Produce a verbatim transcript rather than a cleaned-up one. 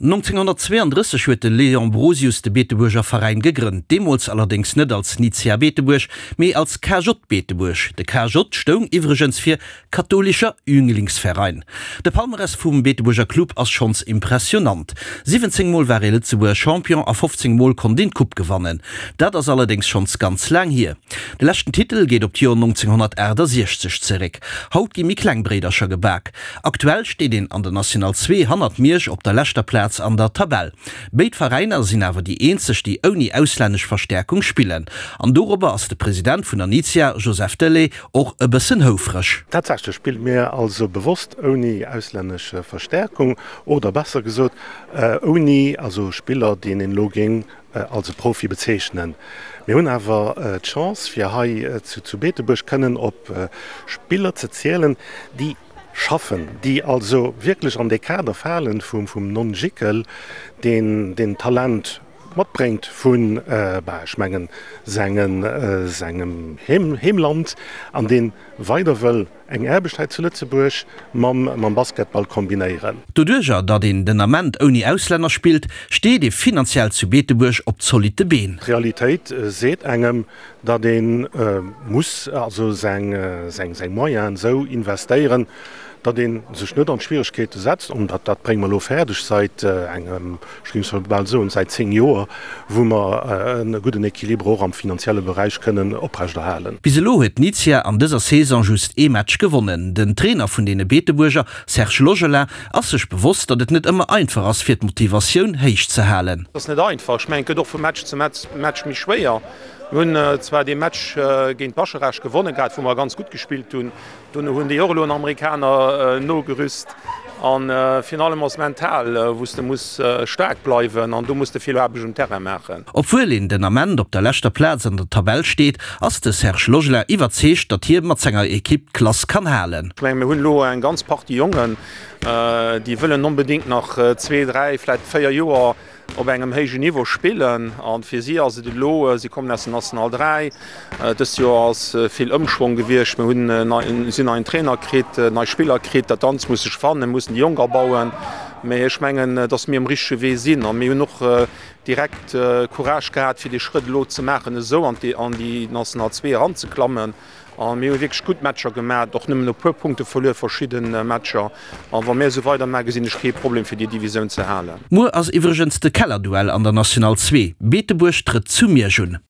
nonzénghonnertzweeandrësseg huet de Léon Brosius de Beetebuerger Veräin gegrënnt, deemools allerdéngs net als Nitzia Beetebuerg, mee als K J Beetebuerg. De K J stoung iwwregens fir Katholischer Jünglingsverein. De Palmarès vum Beetebuerger Club ass schonns impressionant, siwwenzéng Mol war ee Lëtzebuerger Champion a fofzéng Mol konnt een d'Coupe gewannen. Dat ass allerdéngs schonns ganz laang hier. De leschten Titel geet op d'Joer nonzénghonnertaachtasechzeg zeréck. Haut gi méi kleng Bréidercher gebak. Aktuell steet een an der National zwee hannert Miersch op der leschter Plaz an der Tabell. Béid Veräiner sinn awer déi eenzeg, déi ouni auslännesch Verstäerkung spillen. An dorobber ass de President vun der Nizia, Joseph Delay, och e bëssen houfreg. Tatsächlech spille mir also bewosst ouni auslännesch Verstäerkung, oder besser gesot ouni also Spiller, déi een elo géing als e Profi bezeechnen. Mir hunn awer d'Chance, fir hei zu Beetebuerg kënnen op Spiller ze zielen, déi schaffen, déi also wierklech an dee Kader fale vum Non-Jickel, deen deen Talent matbréngt vun, bah, ech mengen, sengem Heemland an dee weider wëll eng Aarbecht hei zu Lëtzebuerg mam Basketball kombinéieren. Doduerjer, datt een den Ament ouni Auslänner spillt, steet ee finanziell zu Beetebuerg op zolitte Been. D'Realitéit seet engem, datt ee muss also seng Moyenen esou investéieren, datt ee sech net an d'Schwieregkeete setzt, an dat dat brénge mer elo fäerdeg säit engem, ech géing scho bal soen, säit zéng Joer, wou mer e gudden Équilibre och am finanzielle Beräich kënnen oprechterhalen. Bis elo huet d'Nizia an dëser Saison just ee Match gewonnen. Den Trainer vun deene Beetebuerger, Serge Logelin, ass sech bewosst, datt et net ëmmer einfach ass, fir d'Motivatioun héich ze halen. Et ass net einfach. Ech mengen, et gëtt och vu Match zu Match méi schwéier. Mir hunn zwar dee Match géint Bascharage gewonnen gehat, wou mer ganz gutt gespillt hunn. Dono hunn déi och elo en Amerikaner nogerüst. A virun allem ass mental, wou s de muss staark bleiwen an do muss de vill Aarbecht um Terrain maachen. Obwuel een den Ament op der leschter Plaz an der Tabell steet, ass de Serge Logelin iwwerzeegt, datt hie mat senger Ekipp d'Klass kann halen. Ech menge mir hunn elo eng ganz Partie Jongen, déi wëllen onbedéngt nach zwee, dräi, vläicht véier Joer op engem héijen Niveau spillen a fir si ass et elo, si kommen aus der National dräi, dëst Joer ass vill Ëmschwong gewiescht, mir hunn nei, sinn neien Trainer kritt, nei Spiller kritt, dat Ganzt muss sech fannen, mussen déi Jonk abauen, mee ech mengen, datt mir um richtege Wee sinn a mir hunn och direkt Courage gehat, fir dee Schrëtt elo ze maachen, esou an déi National zwee eranzeklammen. A mir hu wierklech gutt Matcher gemaat, och nëmmen e puer Punkte verluer, verschidde Matcher. A wa mir esou weidermaachen, gesinn ech kee Problem fir déi Divisioun ze halen. Muer ass iwwregens de Kellerduell an der National zwee, Beetebuerg trëtt zu Miersch un.